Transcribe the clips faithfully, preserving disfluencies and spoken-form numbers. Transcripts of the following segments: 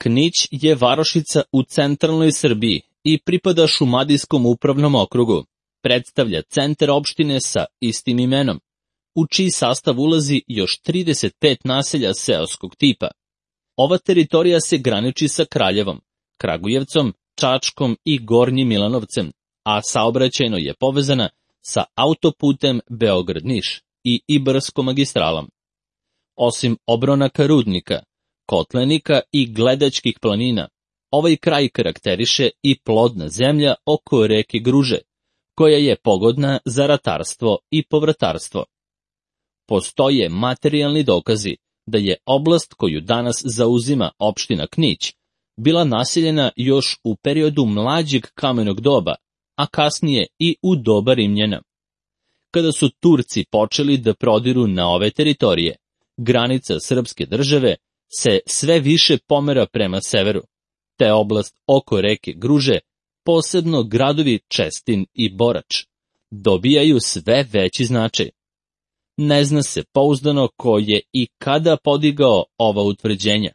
Knić je varošica u centralnoj Srbiji i pripada Šumadijskom upravnom okrugu. Predstavlja centar opštine sa istim imenom, u čiji sastav ulazi još trideset pet naselja seoskog tipa. Ova teritorija se graniči sa Kraljevom, Kragujevcom, Čačkom i Gornjim Milanovcem, a saobraćajno je povezana sa autoputem Beograd-Niš i Ibarskom magistralom. Osim obronaka rudnika, kotlenika i gledačkih planina, ovaj kraj karakteriše i plodna zemlja oko reke Gruže, koja je pogodna za ratarstvo i povrtarstvo. Postoje materijalni dokazi da je oblast koju danas zauzima opština Knić bila naseljena još u periodu mlađeg kamenog doba, a kasnije i u doba Rimljana. Kada su Turci počeli da prodiru na ove teritorije, granica srpske države se sve više pomera prema severu, te oblast oko reke Gruže, posebno gradovi Čestin i Borač, dobijaju sve veći značaj. Ne zna se pouzdano ko je i kada podigao ova utvrđenja,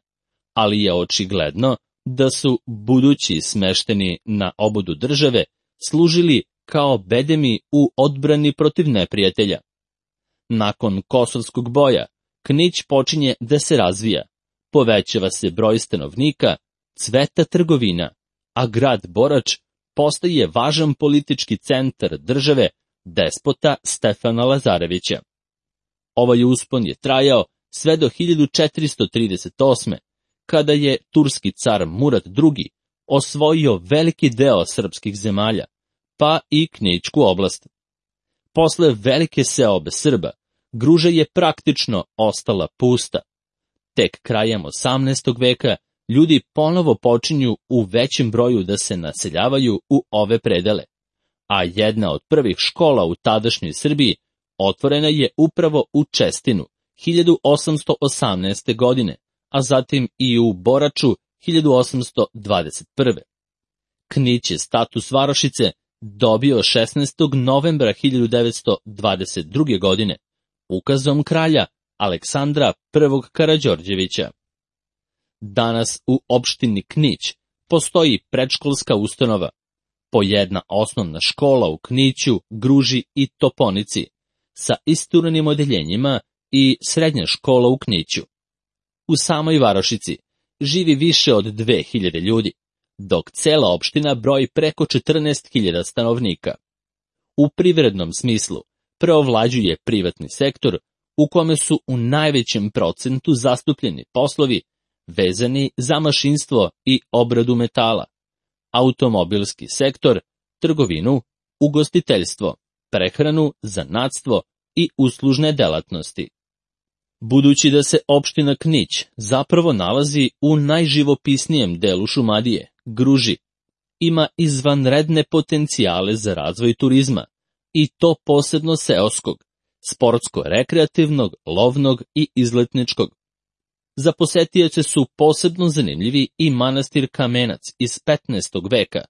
ali je očigledno da su budući smešteni na obodu države služili kao bedemi u odbrani protiv neprijatelja. Nakon Kosovskog boja, Knić počinje da se razvija, povećava se broj stanovnika, cveta trgovina, a grad Borač postaje važan politički centar države despota Stefana Lazarevića. Ovaj uspon je trajao sve do hiljadu četiristo trideset osme. kada je turski car Murat drugi. osvojio veliki deo srpskih zemalja, pa i Knićku oblast. Posle velike seobe Srba, Gruža je praktično ostala pusta. Tek krajem osamnaestog veka ljudi ponovo počinju u većem broju da se naseljavaju u ove predele, a jedna od prvih škola u tadašnjoj Srbiji otvorena je upravo u Čestinu hiljadu osamsto osamnaeste. godine, a zatim i u Boraču hiljadu osamsto dvadeset prve. Knić je status varošice dobio šesnaestog novembra hiljadu devetsto dvadeset druge. godine, ukazom kralja Aleksandra prvog Karađorđevića. Danas u opštini Knić postoji predškolska ustanova, po jedna osnovna škola u Kniću, Gruži i Toponici, sa isturenim odeljenjima i srednja škola u Kniću. U samoj varošici živi više od dve hiljade ljudi, dok cela opština broji preko četrnaest hiljada stanovnika. U privrednom smislu preovlađuje privatni sektor, u kome su u najvećem procentu zastupljeni poslovi vezani za mašinstvo i obradu metala, automobilski sektor, trgovinu, ugostiteljstvo, prehranu, zanatstvo i uslužne delatnosti. Budući da se opština Knić zapravo nalazi u najživopisnijem delu Šumadije, Gruži, ima izvanredne potencijale za razvoj turizma, i to posebno seoskog, sportsko-rekreativnog, lovnog i izletničkog. Za posetioce su posebno zanimljivi i manastir Kamenac iz petnaestog. veka,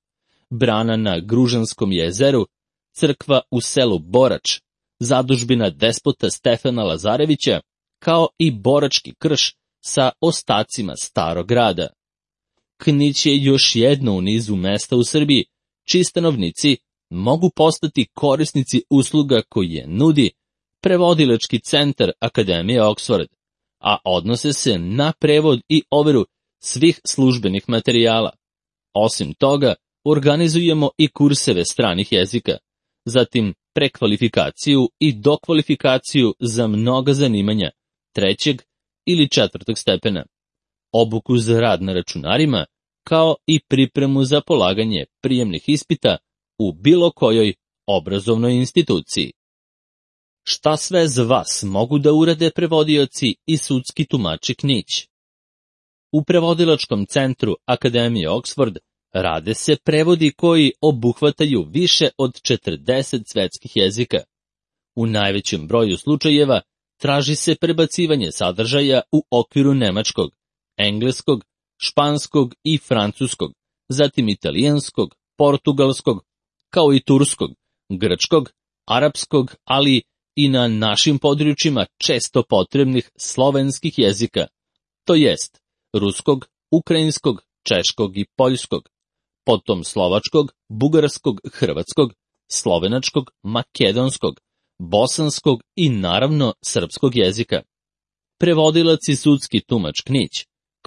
brana na Gružanskom jezeru, crkva u selu Borač, zadužbina despota Stefana Lazarevića, kao i Borački krš sa ostacima starog grada. Knić je još jedno u nizu mesta u Srbiji, čiji stanovnici mogu postati korisnici usluga koje nudi prevodilački centar Akademije Oxford, a odnose se na prevod i overu svih službenih materijala. Osim toga, organizujemo i kurseve stranih jezika, zatim prekvalifikaciju i dokvalifikaciju za mnoga zanimanja trećeg ili četvrtog stepena, obuku za rad na računarima, kao i pripremu za polaganje prijemnih ispita u bilo kojoj obrazovnoj instituciji. Šta sve za vas mogu da urade prevodioci i sudski tumači Knić? U prevodilačkom centru Akademije Oxford rade se prevodi koji obuhvataju više od četrdeset svetskih jezika. U najvećem broju slučajeva traži se prebacivanje sadržaja u okviru nemačkog, engleskog, španskog i francuskog, zatim italijanskog, portugalskog, kao i turskog, grčkog, arapskog, ali i na našim područjima često potrebnih slovenskih jezika, to jest ruskog, ukrajinskog, češkog i poljskog, potom slovačkog, bugarskog, hrvatskog, slovenačkog, makedonskog, bosanskog i naravno srpskog jezika. Prevodilac i sudski tumač Knić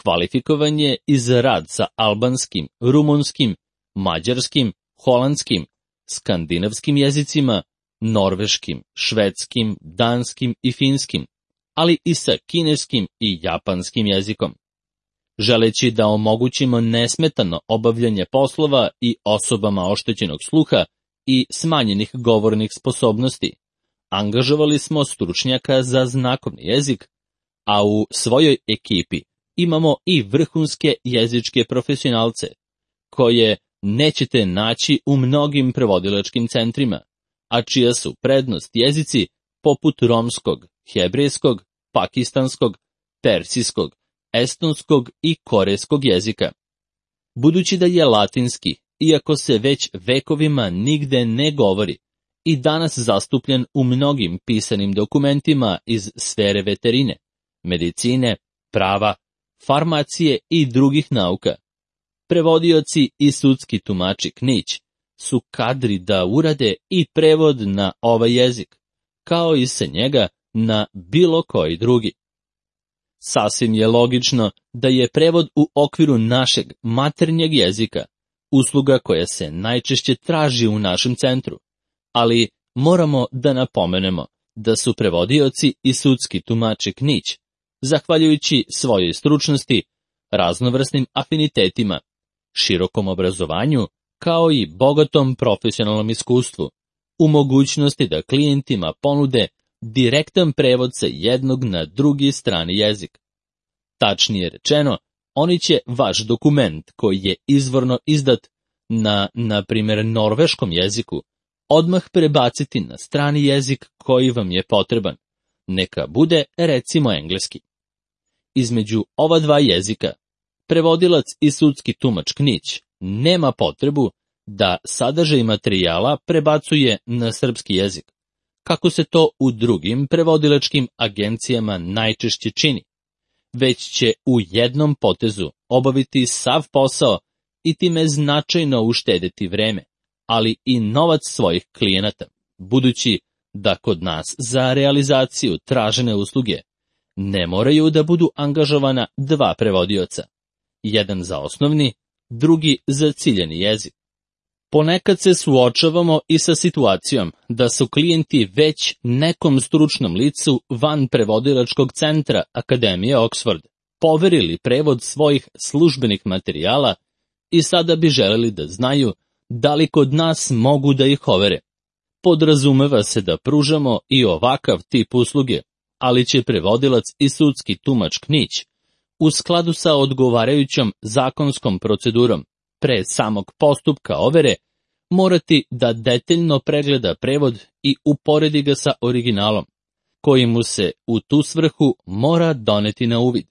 kvalifikovan je i za rad sa albanskim, rumunskim, mađarskim, holandskim, skandinavskim jezicima, norveškim, švedskim, danskim i finskim, ali i sa kineskim i japanskim jezikom. Želeći da omogućimo nesmetano obavljanje poslova i osobama oštećenog sluha i smanjenih govornih sposobnosti, angažovali smo stručnjaka za znakovni jezik, a u svojoj ekipi imamo i vrhunske jezičke profesionalce, koje nećete naći u mnogim prevodilačkim centrima, a čija su prednost jezici poput romskog, hebrejskog, pakistanskog, persijskog, estonskog i korejskog jezika. Budući da je latinski, iako se već vekovima nigde ne govori, i danas zastupljen u mnogim pisanim dokumentima iz sfere veterine, medicine, prava, farmacije i drugih nauka, prevodioci i sudski tumači Knić su kadri da urade i prevod na ovaj jezik, kao i sa njega na bilo koji drugi. Sasvim je logično da je prevod u okviru našeg maternjeg jezika usluga koja se najčešće traži u našem centru, ali moramo da napomenemo da su prevodioci i sudski tumači Knić, zahvaljujući svojoj stručnosti, raznovrsnim afinitetima, širokom obrazovanju, kao i bogatom profesionalnom iskustvu, u mogućnosti da klijentima ponude direktan prevod sa jednog na drugi strani jezik. Tačnije rečeno, oni će vaš dokument koji je izvorno izdat na, na primjer, norveškom jeziku, odmah prebaciti na strani jezik koji vam je potreban. Neka bude, recimo, engleski. Između ova dva jezika, prevodilac i sudski tumač Knić nema potrebu da sadržaj materijala prebacuje na srpski jezik, kako se to u drugim prevodilačkim agencijama najčešće čini, već će u jednom potezu obaviti sav posao i time značajno uštedeti vreme, ali i novac svojih klijenata, budući da kod nas za realizaciju tražene usluge ne moraju da budu angažovana dva prevodioca, jedan za osnovni, drugi za ciljani jezik. Ponekad se suočavamo i sa situacijom da su klijenti već nekom stručnom licu van prevodilačkog centra Akademije Oxford poverili prevod svojih službenih materijala i sada bi želeli da znaju da li kod nas mogu da ih overe. Podrazumeva se da pružamo i ovakav tip usluge, ali će prevodilac i sudski tumač Knić u skladu sa odgovarajućom zakonskom procedurom pre samog postupka overe morati da detaljno pregleda prevod i uporedi ga sa originalom, koji mu se u tu svrhu mora doneti na uvid.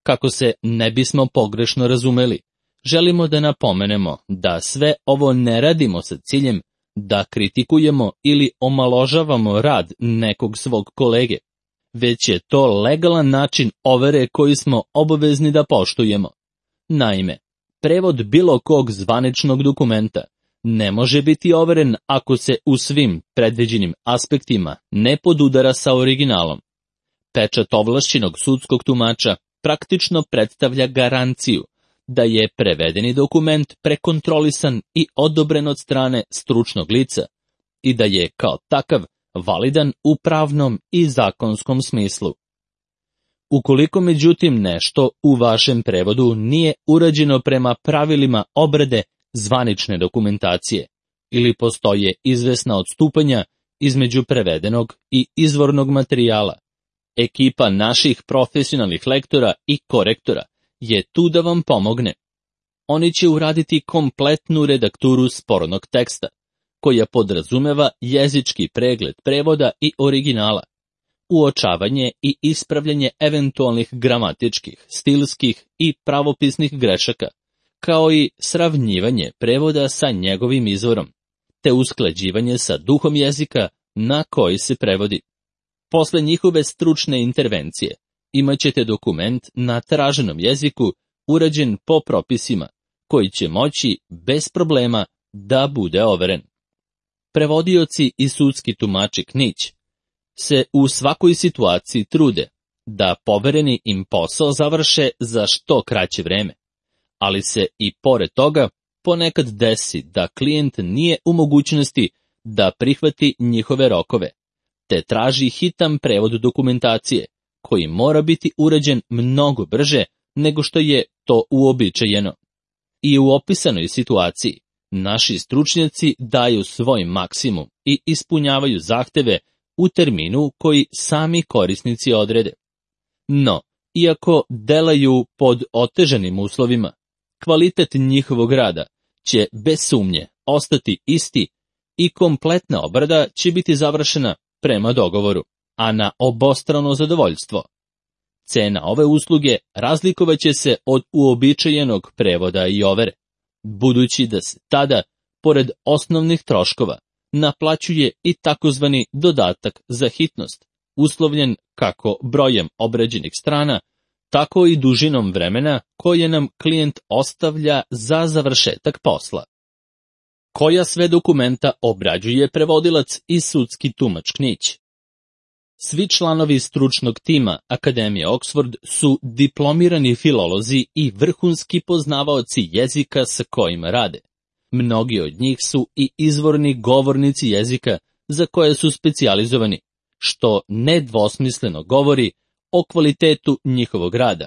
Kako se ne bismo pogrešno razumeli, želimo da napomenemo da sve ovo ne radimo sa ciljem da kritikujemo ili omaložavamo rad nekog svog kolege, već je to legalan način overe koji smo obavezni da poštujemo. Naime, prevod bilo kog zvaničnog dokumenta ne može biti overen ako se u svim predviđenim aspektima ne podudara sa originalom. Pečat ovlašćenog sudskog tumača praktično predstavlja garanciju da je prevedeni dokument prekontrolisan i odobren od strane stručnog lica i da je kao takav validan u pravnom i zakonskom smislu. Ukoliko međutim nešto u vašem prevodu nije urađeno prema pravilima obrade zvanične dokumentacije ili postoje izvesna odstupanja između prevedenog i izvornog materijala, ekipa naših profesionalnih lektora i korektora je tu da vam pomogne. Oni će uraditi kompletnu redakturu spornog teksta, koja podrazumeva jezički pregled prevoda i originala, uočavanje i ispravljanje eventualnih gramatičkih, stilskih i pravopisnih grešaka, kao i sravnjivanje prevoda sa njegovim izvorom, te usklađivanje sa duhom jezika na koji se prevodi. Posle njihove stručne intervencije imaćete dokument na traženom jeziku urađen po propisima, koji će moći bez problema da bude overen. Prevodioci i sudski tumači Knić se u svakoj situaciji trude da povereni im posao završe za što kraće vreme, ali se i pored toga ponekad desi da klijent nije u mogućnosti da prihvati njihove rokove, te traži hitan prevod dokumentacije, koji mora biti urađen mnogo brže nego što je to uobičajeno. I u opisanoj situaciji naši stručnjaci daju svoj maksimum i ispunjavaju zahteve u terminu koji sami korisnici odrede. No, iako delaju pod otežanim uslovima, kvalitet njihovog rada će bez sumnje ostati isti i kompletna obrada će biti završena prema dogovoru, a na obostrano zadovoljstvo. Cena ove usluge razlikovaće se od uobičajenog prevoda i overe, budući da se tada, pored osnovnih troškova, naplaćuje i takozvani dodatak za hitnost, uslovljen kako brojem obrađenih strana, tako i dužinom vremena koje nam klijent ostavlja za završetak posla. Koja sve dokumenta obrađuje prevodilac i sudski tumač Knić? Svi članovi stručnog tima Akademije Oxford su diplomirani filolozi i vrhunski poznavaoci jezika sa kojima rade. Mnogi od njih su i izvorni govornici jezika za koje su specijalizovani, što nedvosmisleno govori o kvalitetu njihovog rada.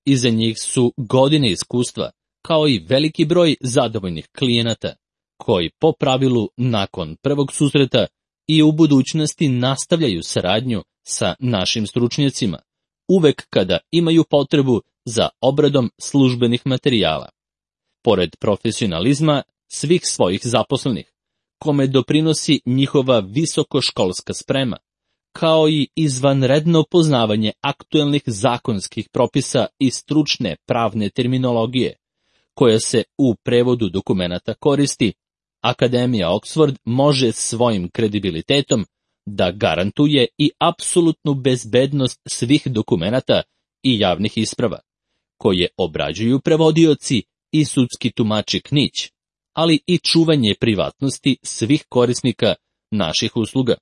Iza njih su godine iskustva, kao i veliki broj zadovoljnih klijenata, koji po pravilu nakon prvog susreta i u budućnosti nastavljaju saradnju sa našim stručnjacima, uvek kada imaju potrebu za obradom službenih materijala. Pored profesionalizma svih svojih zaposlenih, kome doprinosi njihova visokoškolska sprema, kao i izvanredno poznavanje aktuelnih zakonskih propisa i stručne pravne terminologije, koja se u prevodu dokumenata koristi, Akademija Oxford može svojim kredibilitetom da garantuje i apsolutnu bezbednost svih dokumenata i javnih isprava, koje obrađuju prevodioci i sudski tumači Knić, ali i čuvanje privatnosti svih korisnika naših usluga.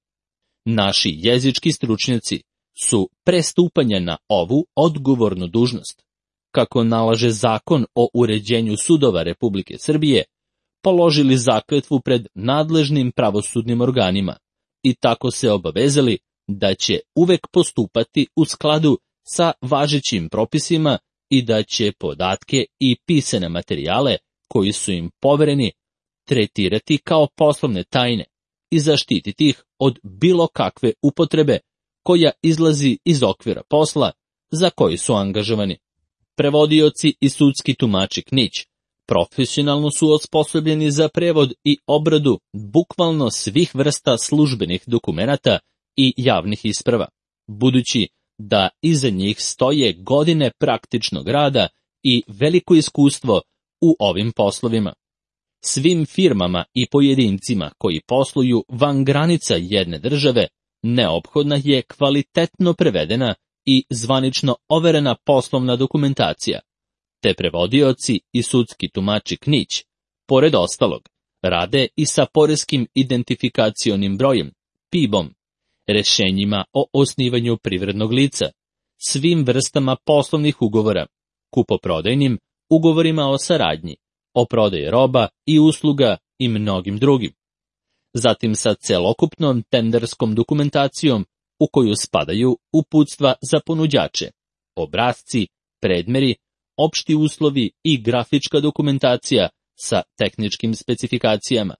Naši jezički stručnjaci su pre stupanja na ovu odgovornu dužnost, kako nalaže Zakon o uređenju sudova Republike Srbije, položili zakletvu pred nadležnim pravosudnim organima i tako se obavezali da će uvek postupati u skladu sa važećim propisima i da će podatke i pisane materijale koji su im povereni tretirati kao poslovne tajne i zaštititi ih od bilo kakve upotrebe koja izlazi iz okvira posla za koji su angažovani. Prevodioci i sudski tumači Knić profesionalno su osposobljeni za prevod i obradu bukvalno svih vrsta službenih dokumenata i javnih isprava, budući da iza njih stoje godine praktičnog rada i veliko iskustvo u ovim poslovima. Svim firmama i pojedincima koji posluju van granica jedne države neophodna je kvalitetno prevedena i zvanično overena poslovna dokumentacija, te prevodioci i sudski tumači Knić, pored ostalog, rade i sa poreskim identifikacionim brojem, P I B-om, rešenjima o osnivanju privrednog lica, svim vrstama poslovnih ugovora, kupoprodajnim ugovorima o saradnji, o prodaji roba i usluga i mnogim drugim. Zatim sa celokupnom tenderskom dokumentacijom u koju spadaju uputstva za ponuđače, obrasci, predmeri, opšti uslovi i grafička dokumentacija sa tehničkim specifikacijama,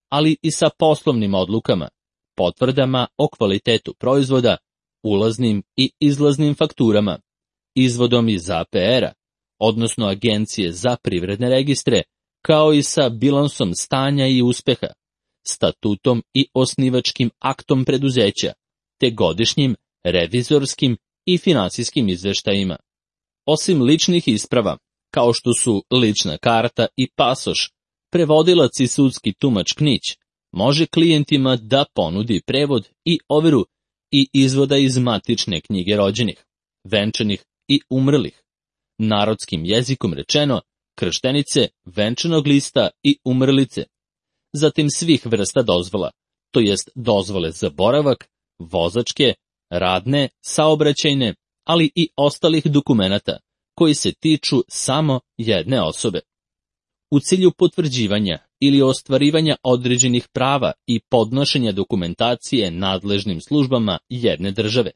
ali i sa poslovnim odlukama, potvrdama o kvalitetu proizvoda, ulaznim i izlaznim fakturama, izvodom iz A P R-a, odnosno Agencije za privredne registre, kao i sa bilansom stanja i uspeha, statutom i osnivačkim aktom preduzeća, te godišnjim, revizorskim i finansijskim izveštajima. Osim ličnih isprava, kao što su lična karta i pasoš, prevodilac i sudski tumač Knić može klijentima da ponudi prevod i overu i izvoda iz matične knjige rođenih, venčanih i umrlih, narodskim jezikom rečeno, krštenice, venčanog lista i umrlice. Zatim svih vrsta dozvola, to jest dozvole za boravak, vozačke, radne, saobraćajne, ali i ostalih dokumenata koji se tiču samo jedne osobe. U cilju potvrđivanja ili ostvarivanja određenih prava i podnošenja dokumentacije nadležnim službama jedne države.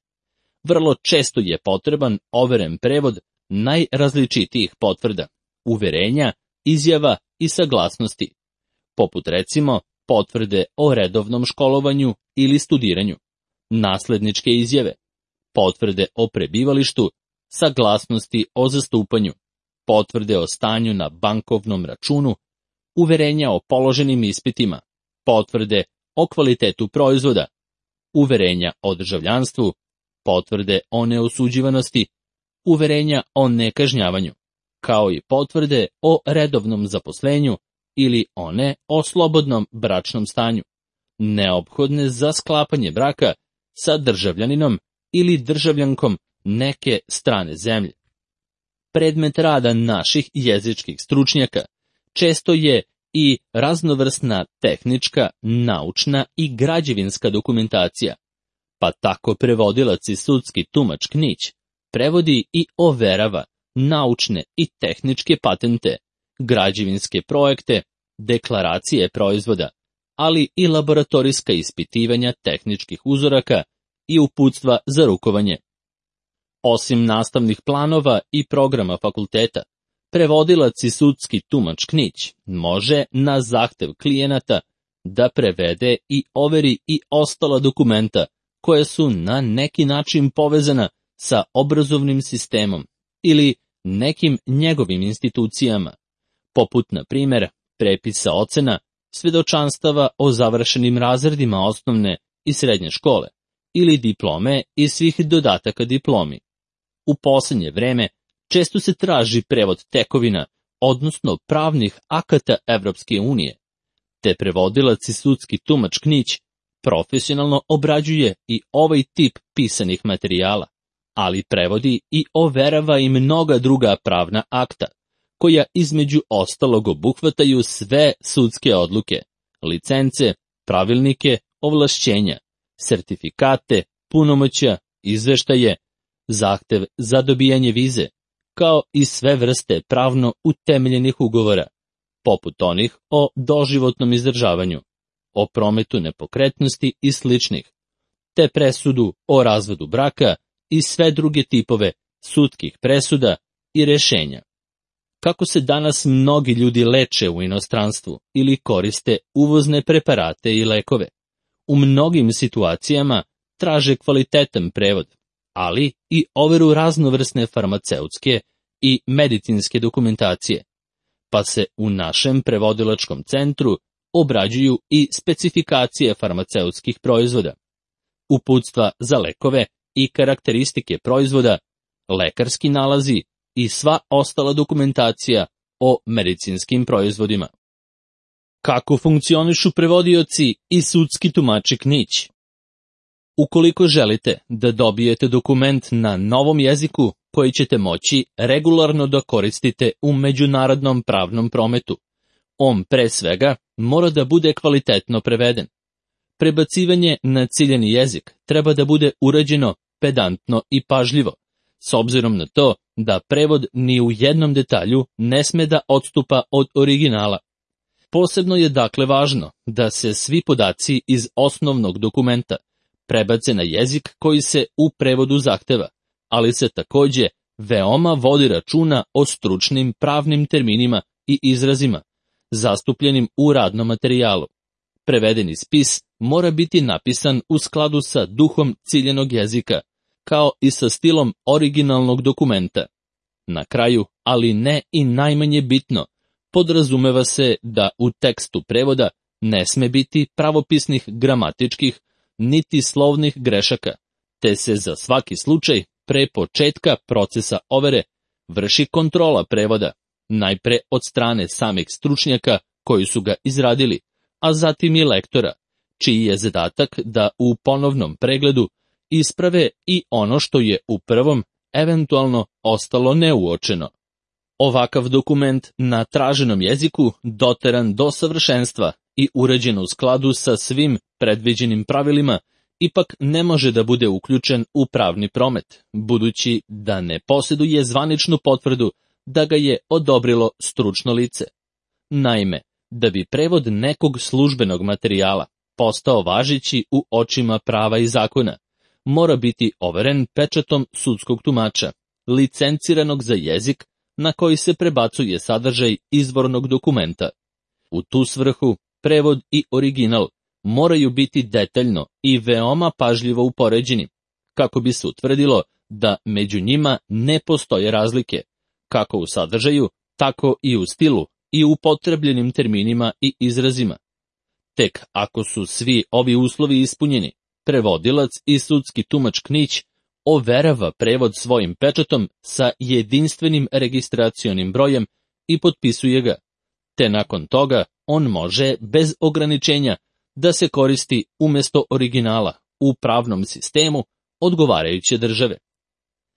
Vrlo često je potreban overen prevod najrazličitijih potvrda, uverenja, izjava i saglasnosti, poput recimo potvrde o redovnom školovanju ili studiranju, nasledničke izjave, potvrde o prebivalištu, saglasnosti o zastupanju, potvrde o stanju na bankovnom računu, uverenja o položenim ispitima, potvrde o kvalitetu proizvoda, uverenja o državljanstvu, potvrde o neosuđivanosti, uverenja o nekažnjavanju, kao i potvrde o redovnom zaposlenju ili one o slobodnom bračnom stanju, neophodne za sklapanje braka sa državljaninom ili državljankom neke strane zemlje. Predmet rada naših jezičkih stručnjaka često je i raznovrsna tehnička, naučna i građevinska dokumentacija, pa tako prevodilac i sudski tumač Knić prevodi i overava naučne i tehničke patente, građevinske projekte, deklaracije proizvoda, ali i laboratorijska ispitivanja tehničkih uzoraka i uputstva za rukovanje. Osim nastavnih planova i programa fakulteta, prevodilac i sudski tumač Knić može na zahtev klijenata da prevede i overi i ostala dokumenta koje su na neki način povezana sa obrazovnim sistemom ili nekim njegovim institucijama, poput, na primjer, prepisa ocena, svedočanstava o završenim razredima osnovne i srednje škole ili diplome i svih dodataka diplomi. U posljednje vreme često se traži prevod tekovina, odnosno pravnih akata Evropske unije, te prevodilac i sudski tumač Knić profesionalno obrađuje i ovaj tip pisanih materijala, ali prevodi i overava i mnoga druga pravna akta, koja između ostalog obuhvataju sve sudske odluke, licence, pravilnike, ovlašćenja, sertifikate, punomoćja, izveštaje, zahtev za dobijanje vize, kao i sve vrste pravno utemeljenih ugovora, poput onih o doživotnom izdržavanju, o prometu nepokretnosti i sličnih, te presudu o razvodu braka i sve druge tipove sudskih presuda i rešenja. Kako se danas mnogi ljudi leče u inostranstvu ili koriste uvozne preparate i lekove, u mnogim situacijama traže kvalitetan prevod, ali i overu raznovrsne farmaceutske i medicinske dokumentacije, pa se u našem prevodilačkom centru obrađuju i specifikacije farmaceutskih proizvoda, uputstva za lekove i karakteristike proizvoda, lekarski nalazi i sva ostala dokumentacija o medicinskim proizvodima. Kako funkcionišu prevodioci i sudski tumači Knić? Ukoliko želite da dobijete dokument na novom jeziku koji ćete moći regularno da koristite u međunarodnom pravnom prometu, on pre svega mora da bude kvalitetno preveden. Prebacivanje na ciljani jezik treba da bude urađeno pedantno i pažljivo, s obzirom na to da prevod ni u jednom detalju ne sme da odstupa od originala. Posebno je dakle važno da se svi podaci iz osnovnog dokumenta prebace na jezik koji se u prevodu zahteva, ali se takođe veoma vodi računa o stručnim pravnim terminima i izrazima, zastupljenim u radnom materijalu. Prevedeni spis mora biti napisan u skladu sa duhom ciljenog jezika, kao i sa stilom originalnog dokumenta. Na kraju, ali ne i najmanje bitno, podrazumeva se da u tekstu prevoda ne sme biti pravopisnih gramatičkih niti slovnih grešaka, te se za svaki slučaj pre početka procesa overe vrši kontrola prevoda, najpre od strane samih stručnjaka koji su ga izradili, a zatim i lektora, čiji je zadatak da u ponovnom pregledu isprave i ono što je u prvom eventualno ostalo neuočeno. Ovakav dokument na traženom jeziku, doteran do savršenstva i urađen u skladu sa svim predviđenim pravilima, ipak ne može da bude uključen u pravni promet, budući da ne posjeduje zvaničnu potvrdu da ga je odobrilo stručno lice. Naime, da bi prevod nekog službenog materijala postao važeći u očima prava i zakona, mora biti overen pečatom sudskog tumača, licenciranog za jezik na koji se prebacuje sadržaj izvornog dokumenta. U tu svrhu, prevod i original moraju biti detaljno i veoma pažljivo upoređeni, kako bi se utvrdilo da među njima ne postoje razlike, kako u sadržaju, tako i u stilu i upotrebljenim terminima i izrazima. Tek ako su svi ovi uslovi ispunjeni, prevodilac i sudski tumač Knić overava prevod svojim pečatom sa jedinstvenim registracionim brojem i potpisuje ga, te nakon toga on može bez ograničenja da se koristi umjesto originala u pravnom sistemu odgovarajuće države.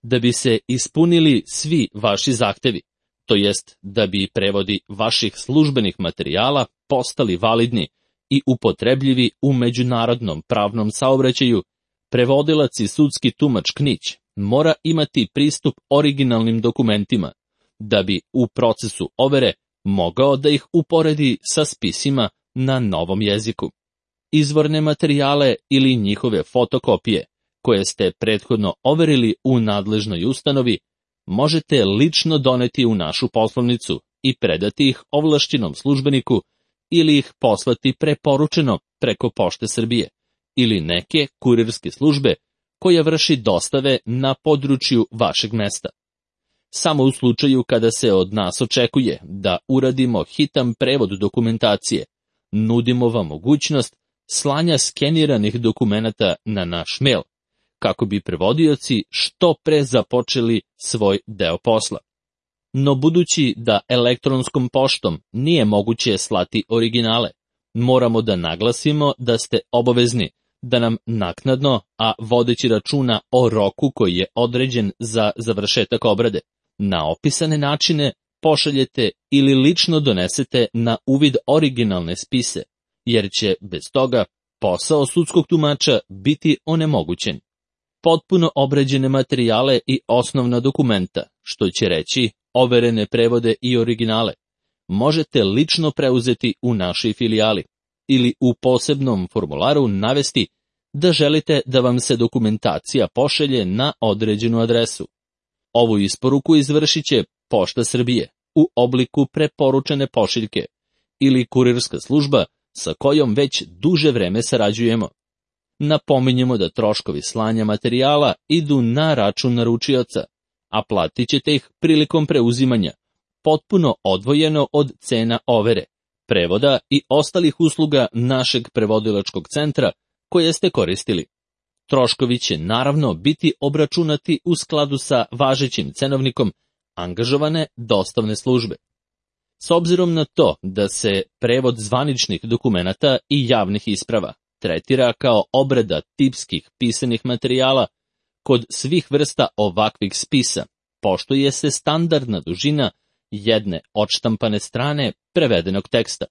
Da bi se ispunili svi vaši zahtevi, to jest da bi prevodi vaših službenih materijala postali validni i upotrebljivi u međunarodnom pravnom saobraćaju, prevodilac i sudski tumač Knić mora imati pristup originalnim dokumentima, da bi u procesu overe mogao da ih uporedi sa spisima na novom jeziku. Izvorne materijale ili njihove fotokopije, koje ste prethodno overili u nadležnoj ustanovi, možete lično doneti u našu poslovnicu i predati ih ovlašćenom službeniku ili ih poslati preporučeno preko Pošte Srbije ili neke kurirske službe koja vrši dostave na području vašeg mesta. Samo u slučaju kada se od nas očekuje da uradimo hitan prevod dokumentacije, nudimo vam mogućnost slanja skeniranih dokumenata na naš mail, kako bi prevodioci što pre započeli svoj deo posla. No budući da elektronskom poštom nije moguće slati originale, moramo da naglasimo da ste obavezni da nam naknadno, a vodeći računa o roku koji je određen za završetak obrade, na opisane načine pošaljete ili lično donesete na uvid originalne spise, jer će bez toga posao sudskog tumača biti onemogućen. Potpuno obrađene materijale i osnovna dokumenta, što će reći overene prevode i originale, možete lično preuzeti u našoj filijali ili u posebnom formularu navesti da želite da vam se dokumentacija pošalje na određenu adresu. Ovu isporuku izvršit će Pošta Srbije u obliku preporučene pošiljke ili kurirska služba sa kojom već duže vreme sarađujemo. Napominjemo da troškovi slanja materijala idu na račun naručioca, a platit ćete ih prilikom preuzimanja, potpuno odvojeno od cena overe, prevoda i ostalih usluga našeg prevodilačkog centra koje ste koristili. Troškovi će naravno biti obračunati u skladu sa važećim cenovnikom angažovane dostavne službe. S obzirom na to da se prevod zvaničnih dokumenata i javnih isprava tretira kao obrada tipskih pisanih materijala, kod svih vrsta ovakvih spisa poštuje se standardna dužina jedne odštampane strane prevedenog teksta.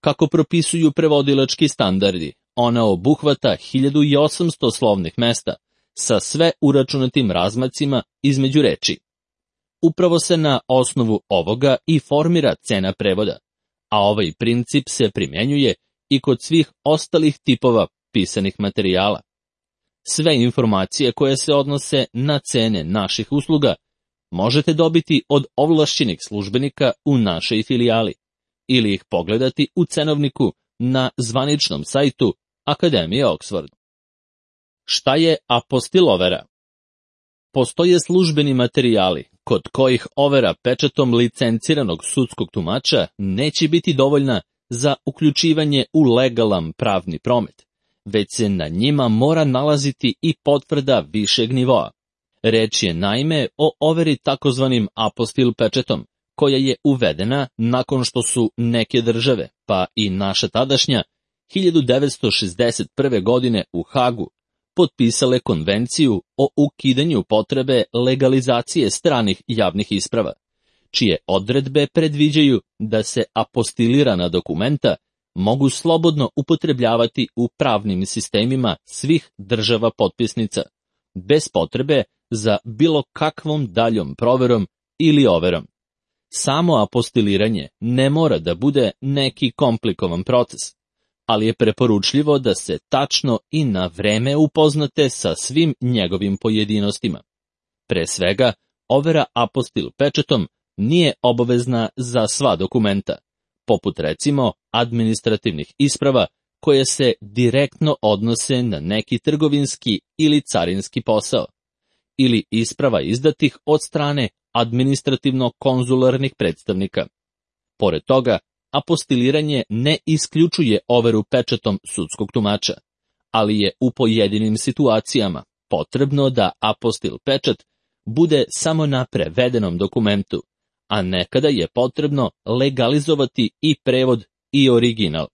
Kako propisuju prevodilački standardi, ona obuhvata hiljadu osamsto slovnih mesta sa sve uračunatim razmacima između reči. Upravo se na osnovu ovoga i formira cena prevoda, a ovaj princip se primjenjuje i kod svih ostalih tipova pisanih materijala. Sve informacije koje se odnose na cene naših usluga možete dobiti od ovlašćenih službenika u našoj filijali ili ih pogledati u cenovniku na zvaničnom sajtu Akademije Oxford. Šta je apostil overa? Postoje službeni materijali kod kojih overa pečatom licenciranog sudskog tumača neće biti dovoljna za uključivanje u legalan pravni promet, već se na njima mora nalaziti i potvrda višeg nivoa. Reč je naime o overi takozvanim apostil pečetom, koja je uvedena nakon što su neke države, pa i naša tadašnja, hiljadu devetsto šezdeset prve. godine u Hagu, potpisale konvenciju o ukidanju potrebe legalizacije stranih javnih isprava, čije odredbe predviđaju da se apostilirana dokumenta mogu slobodno upotrebljavati u pravnim sistemima svih država potpisnica, bez potrebe za bilo kakvom daljom proverom ili overom. Samo apostiliranje ne mora da bude neki komplikovan proces, ali je preporučljivo da se tačno i na vreme upoznate sa svim njegovim pojedinostima. Pre svega, overa apostil pečatom nije obavezna za sva dokumenta, poput recimo administrativnih isprava koje se direktno odnose na neki trgovinski ili carinski posao, ili isprava izdatih od strane administrativno-konzularnih predstavnika. Pored toga, apostiliranje ne isključuje overu pečatom sudskog tumača, ali je u pojedinim situacijama potrebno da apostil pečat bude samo na prevedenom dokumentu, a nekada je potrebno legalizovati i prevod i original.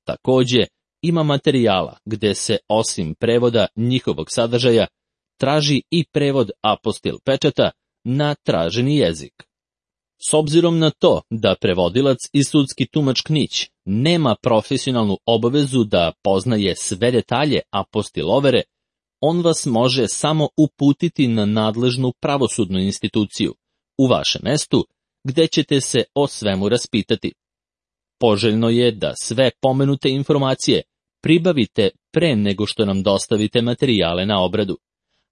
Takođe, ima materijala gde se osim prevoda njihovog sadržaja traži i prevod apostil pečata na traženi jezik. S obzirom na to da prevodilac i sudski tumač Knić nema profesionalnu obavezu da poznaje sve detalje apostil overe, on vas može samo uputiti na nadležnu pravosudnu instituciju u vašem mestu, gde ćete se o svemu raspitati. Poželjno je da sve pomenute informacije pribavite pre nego što nam dostavite materijale na obradu,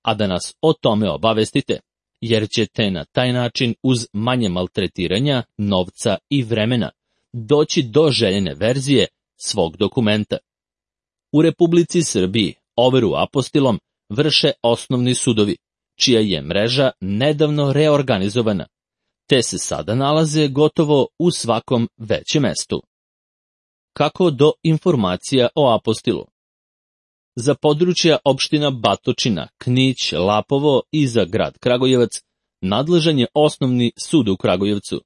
a da nas o tome obavestite, jer ćete na taj način uz manje maltretiranja, novca i vremena doći do željene verzije svog dokumenta. U Republici Srbiji overu apostilom vrše osnovni sudovi, čija je mreža nedavno reorganizovana, te se sada nalaze gotovo u svakom većem mestu. Kako do informacija o apostilu? Za područja opština Batočina, Knić, Lapovo i za grad Kragujevac nadležan je osnovni sud u Kragujevcu,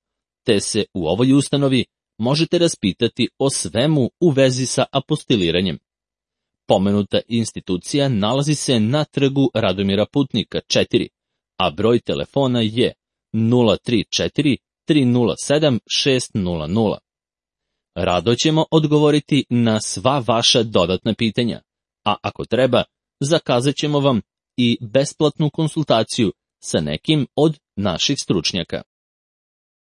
te se u ovoj ustanovi možete raspitati o svemu u vezi sa apostiliranjem. Pomenuta institucija nalazi se na trgu Radomira Putnika četiri, a broj telefona je nula tri četiri tri nula sedam šest nula nula. Rado ćemo odgovoriti na sva vaša dodatna pitanja, a ako treba, zakazat ćemo vam i besplatnu konsultaciju sa nekim od naših stručnjaka.